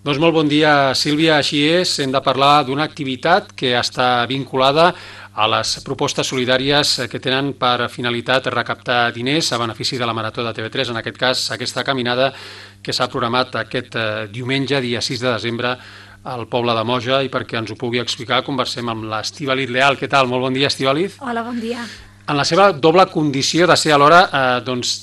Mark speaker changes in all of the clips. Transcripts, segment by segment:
Speaker 1: Doncs molt bon dia, Sílvia. Així és, hem de parlar d'una activitat que està vinculada a les propostes solidàries que tenen per finalitat recaptar diners a benefici de la Marató de TV3, en aquest cas aquesta caminada que s'ha programat aquest diumenge, dia 6 de desembre, al poble de Moja, i perquè ens ho pugui explicar conversem amb l'Estíbaliz Leal. Què tal? Molt bon dia, Estíbaliz.
Speaker 2: Hola, bon dia.
Speaker 1: En la seva doble condició de ser alhora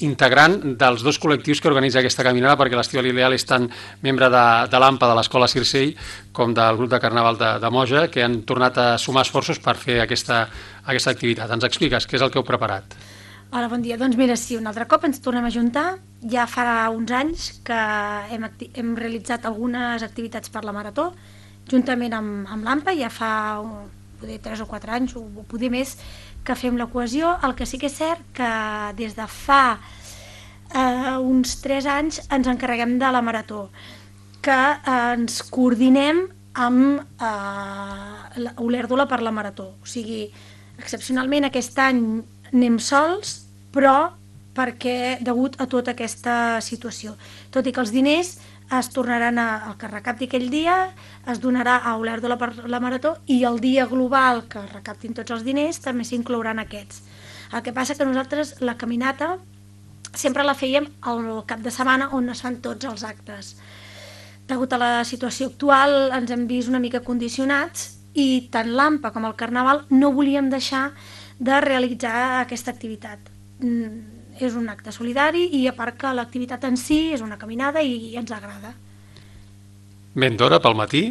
Speaker 1: integrant dels dos col·lectius que organitza aquesta caminada, perquè l'Estíbaliz Leal és tant membre de l'AMPA de l'Escola Circell com del grup de Carnaval de Moja, que han tornat a sumar esforços per fer aquesta activitat. Ens expliques què és el que heu preparat?
Speaker 2: Hola, bon dia. Doncs mira, sí, un altre cop ens tornem a juntar. Ja farà uns anys que hem realitzat algunes activitats per la Marató, juntament amb l'AMPA, ja fa poder 3 o 4 anys, o poder més, que fem la cohesió. El que sí que és cert que des de fa uns 3 anys ens encarreguem de la Marató, que ens coordinem amb Olèrdola per la Marató. O sigui, excepcionalment aquest any anem sols, però perquè degut a tota aquesta situació. Tot i que els diners es tornaran el que recapti aquell dia es donarà a Olèrdola per la Marató, i el dia global que recaptin tots els diners també s'inclouran aquests. El que passa que nosaltres la caminata sempre la fèiem al cap de setmana on es fan tots els actes. Degut a la situació actual ens hem vist una mica condicionats i tant l'AMPA com el Carnaval no volíem deixar de realitzar aquesta activitat. És un acte solidari i a part que l'activitat en si és una caminada i ens agrada.
Speaker 1: Ben d'hora, pel matí?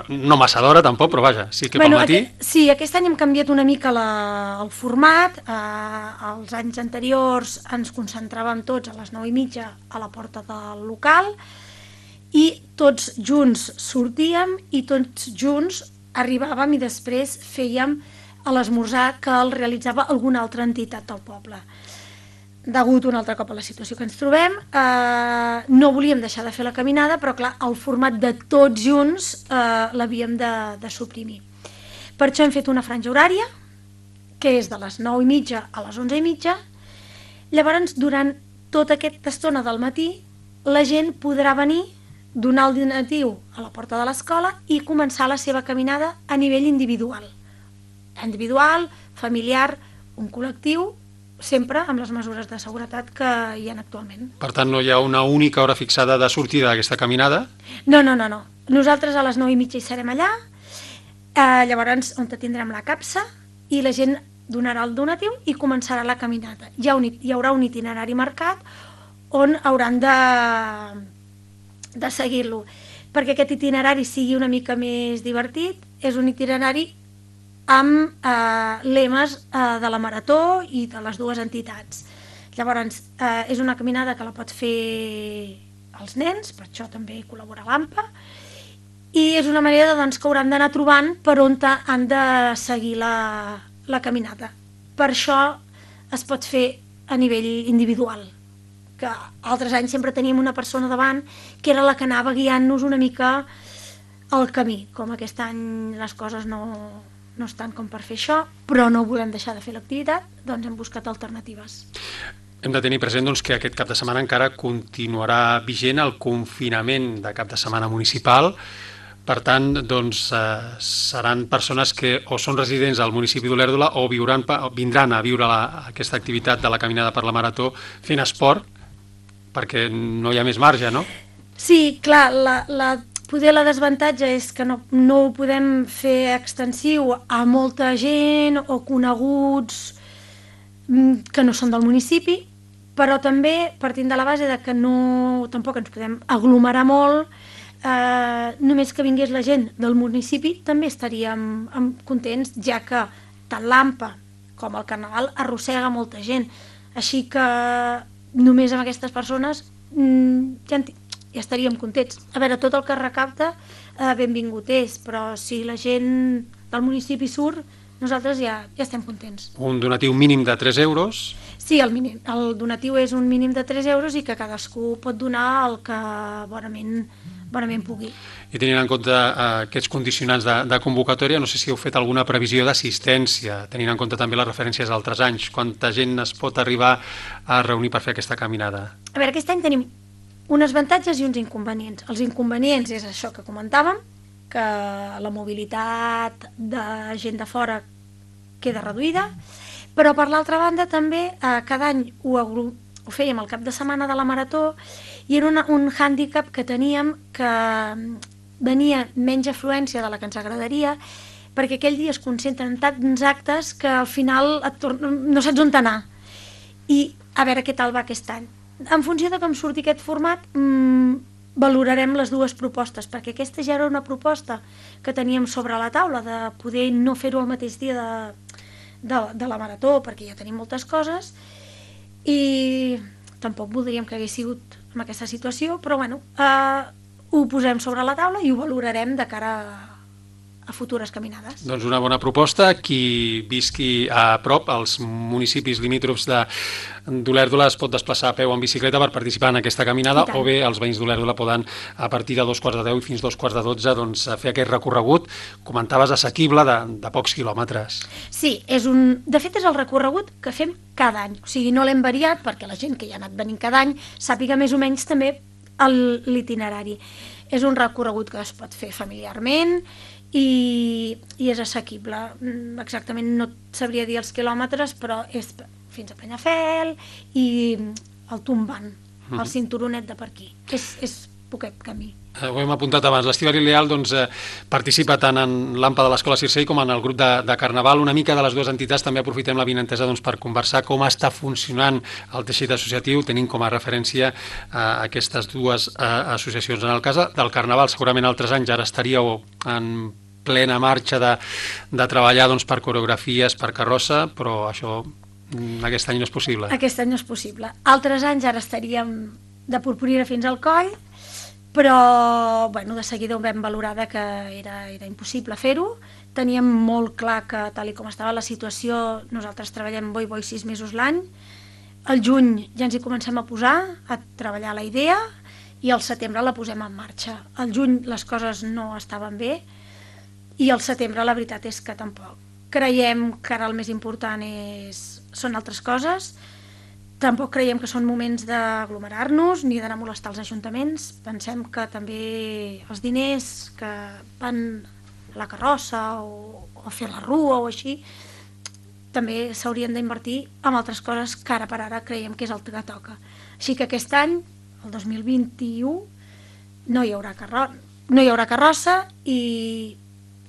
Speaker 1: No massa d'hora tampoc, però vaja, sí que pel matí.
Speaker 2: Sí, aquest any hem canviat una mica el format. Els anys anteriors ens concentràvem tots a les 9:30 a la porta del local i tots junts sortíem i tots junts arribàvem i després fèiem l'esmorzar que el realitzava alguna altra entitat del poble. Degut un altre cop a la situació que ens trobem, no volíem deixar de fer la caminada, però clar, el format de tots junts l'havíem de suprimir. Per això hem fet una franja horària, que és de les 9:30 a les 11:30. Llavors, durant tota aquesta estona del matí, la gent podrà venir, donar el donatiu a la porta de l'escola i començar la seva caminada a nivell individual. Individual, familiar, un col·lectiu, sempre amb les mesures de seguretat que hi ha actualment.
Speaker 1: Per tant, no hi ha una única hora fixada de sortida d'aquesta caminada?
Speaker 2: No. Nosaltres a les 9:30 hi serem allà, llavors on tindrem la capsa i la gent donarà el donatiu i començarà la caminata. Hi haurà un itinerari marcat on hauran de seguir-lo. Perquè aquest itinerari sigui una mica més divertit, és un itinerari amb lemes de la Marató i de les dues entitats. Llavors, és una caminada que la pots fer els nens, per això també col·labora l'AMPA, i és una manera que hauran d'anar trobant per on han de seguir la caminata. Per això es pot fer a nivell individual, que altres anys sempre teníem una persona davant que era la que anava guiant-nos una mica el camí. Com aquest any les coses no estan com per fer això, però no volem deixar de fer l'activitat, doncs hem buscat alternatives.
Speaker 1: Hem de tenir present que aquest cap de setmana encara continuarà vigent el confinament de cap de setmana municipal. Per tant, seran persones que o són residents al municipi d'Olèrdola o vindran a viure aquesta activitat de la caminada per la Marató fent esport, perquè no hi ha més marge, no?
Speaker 2: Sí, clar, poder la desavantatge és que no ho podem fer extensiu a molta gent o coneguts que no són del municipi, però també partint de la base de que tampoc ens podem aglomerar molt, només que vingués la gent del municipi també estaríem contents, ja que tant l'AMPA com el Carnaval arrossega molta gent, així que només amb aquestes persones ja estaríem contents. A veure, tot el que recapta benvingut és, però si la gent del municipi surt, nosaltres ja estem contents.
Speaker 1: Un donatiu mínim de 3 euros?
Speaker 2: Sí, el donatiu és un mínim de 3 euros i que cadascú pot donar el que bonament pugui.
Speaker 1: I tenint en compte aquests condicionants de convocatòria, no sé si heu fet alguna previsió d'assistència, tenint en compte també les referències d'altres anys. Quanta gent es pot arribar a reunir per fer aquesta caminada?
Speaker 2: A veure, aquest any tenim uns avantatges i uns inconvenients. Els inconvenients és això que comentàvem, que la mobilitat de gent de fora queda reduïda, però per l'altra banda també cada any ho fèiem al cap de setmana de la Marató i era un hàndicap que teníem que venia menys afluència de la que ens agradaria, perquè aquell dia es concentren tants actes que al final no saps on anar. I a veure què tal va aquest any. En funció de com surti aquest format, valorarem les dues propostes, perquè aquesta ja era una proposta que teníem sobre la taula, de poder no fer-ho el mateix dia de la Marató, perquè ja tenim moltes coses, i tampoc voldríem que hagués sigut en aquesta situació, però bueno, ho posem sobre la taula i ho valorarem de cara a futures caminades.
Speaker 1: Doncs una bona proposta. Qui visqui a prop, als municipis limítrofs d'Olèrdola, es pot desplaçar a peu en bicicleta per participar en aquesta caminada, o bé els veïns d'Olèrdola poden, a partir de 2:45 i fins 2:45, doncs, fer aquest recorregut, comentaves, assequible, de pocs quilòmetres.
Speaker 2: Sí, de fet és el recorregut que fem cada any, o sigui, no l'hem variat perquè la gent que hi ha anat venint cada any sàpiga més o menys també l'itinerari. És un recorregut que es pot fer familiarment i és assequible. Exactament no et sabria dir els quilòmetres, però és fins a Penyafel i el Tombant, el cinturonet de per aquí. És poquet camí.
Speaker 1: Ho hem apuntat abans. L'Estíbaliz Leal participa tant en l'AMPA de l'Escola Circei com en el grup de Carnaval. Una mica de les dues entitats també aprofitem l'avinentesa per conversar com està funcionant el teixit associatiu, tenint com a referència aquestes dues associacions. En el cas del Carnaval, segurament altres anys ara estaríeu en plena marxa de treballar per coreografies, per carrossa, però això aquest any no és possible.
Speaker 2: Aquest any no és possible. Altres anys ara estaríem de purpurina fins al coll, però de seguida ho vam valorar que era impossible fer-ho. Teníem molt clar que, tal com estava la situació, nosaltres treballem bo i 6 mesos l'any. Al juny ja ens hi comencem a posar, a treballar la idea, i al setembre la posem en marxa. Al juny les coses no estaven bé, i al setembre la veritat és que tampoc. Creiem que ara el més important són altres coses. Tampoc creiem que són moments d'aglomerar-nos ni d'anar a molestar els ajuntaments. Pensem que també els diners que van a la carrossa o a fer la rua o així també s'haurien d'invertir en altres coses que ara per ara creiem que és el que toca. Així que aquest any, el 2021, no hi haurà carrossa i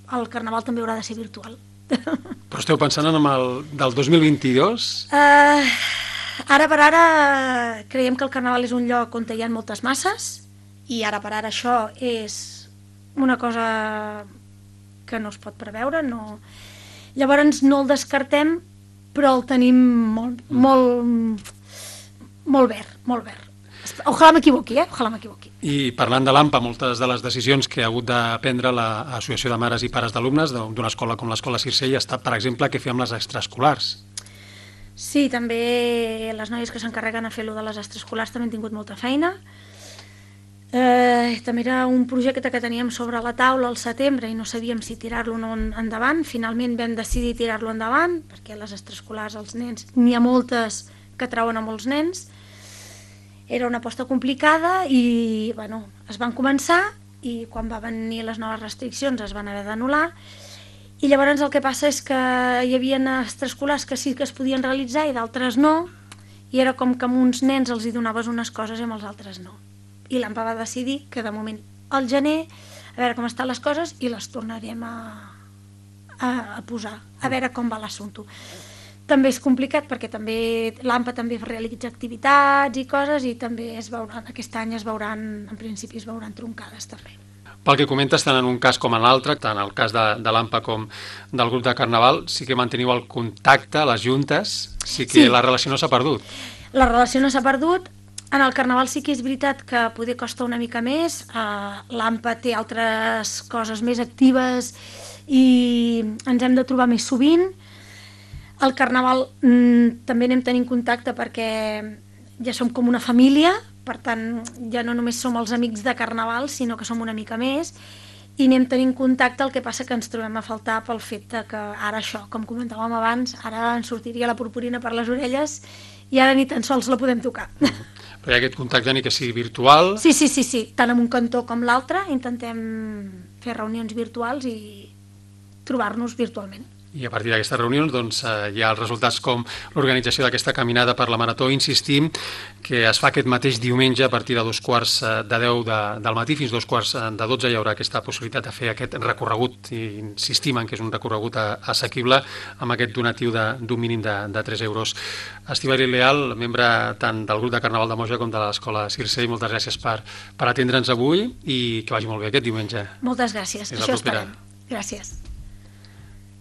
Speaker 2: el Carnaval també haurà de ser virtual.
Speaker 1: Però esteu pensant en el del 2022?
Speaker 2: Ara per ara creiem que el Carnaval és un lloc on hi ha moltes masses i ara per ara això és una cosa que no es pot preveure. Llavors no el descartem, però el tenim molt verd. Ojalà m'equivoqui, Ojalà m'equivoqui.
Speaker 1: I parlant de l'AMPA, moltes de les decisions que ha hagut de prendre l'Associació de Mares i Pares d'Alumnes d'una escola com l'Escola Circei ha estat, per exemple, què fer amb les extraescolars.
Speaker 2: Sí, també les noies que s'encarreguen a fer-lo de les extraescolars també han tingut molta feina. També era un projecte que teníem sobre la taula al setembre i no sabíem si tirar-lo o no endavant. Finalment vam decidir tirar-lo endavant, perquè les extraescolars, els nens, n'hi ha moltes que trauen a molts nens. Era una aposta complicada i es van començar i quan va venir les noves restriccions es van haver d'anul·lar. I llavors el que passa és que hi havia extraescolars que sí que es podien realitzar i d'altres no, i era com que a uns nens els hi donaves unes coses i amb els altres no. I l'AMPA va decidir que de moment al gener, a veure com estan les coses i les tornarem a posar, a veure com va l'assumpte. També és complicat perquè també l'AMPA també realitza activitats i coses i també aquest any en principi es veuran troncades també.
Speaker 1: Pel que comentes, tant en un cas com en l'altre, tant el cas de l'AMPA com del grup de Carnaval, sí que manteniu el contacte, les juntes, sí que la relació no s'ha perdut.
Speaker 2: La relació no s'ha perdut. En el Carnaval sí que és veritat que poder costa una mica més. L'AMPA té altres coses més actives i ens hem de trobar més sovint. Al Carnaval també anem tenint contacte perquè ja som com una família, per tant ja no només som els amics de Carnaval, sinó que som una mica més i anem tenint contacte. El que passa que ens trobem a faltar pel fet que ara això, com comentàvem abans, ara ens sortiria la purpurina per les orelles i ara ni tan sols la podem tocar.
Speaker 1: Però hi ha aquest contacte ni que sigui virtual.
Speaker 2: Sí, tant en un cantó com l'altre intentem fer reunions virtuals i trobar-nos virtualment.
Speaker 1: I a partir d'aquestes reunions doncs, hi ha els resultats com l'organització d'aquesta caminada per la Marató. Insistim que es fa aquest mateix diumenge a partir de 2:45 del matí fins 2:45 hi haurà aquesta possibilitat de fer aquest recorregut, i insistim en que és un recorregut assequible amb aquest donatiu d'un mínim de 3 euros. Estivali Leal, membre tant del grup de Carnaval de Moja com de l'Escola Circei, moltes gràcies per atendre'ns avui i que vagi molt bé aquest diumenge.
Speaker 2: Moltes gràcies, això esperem. Gràcies.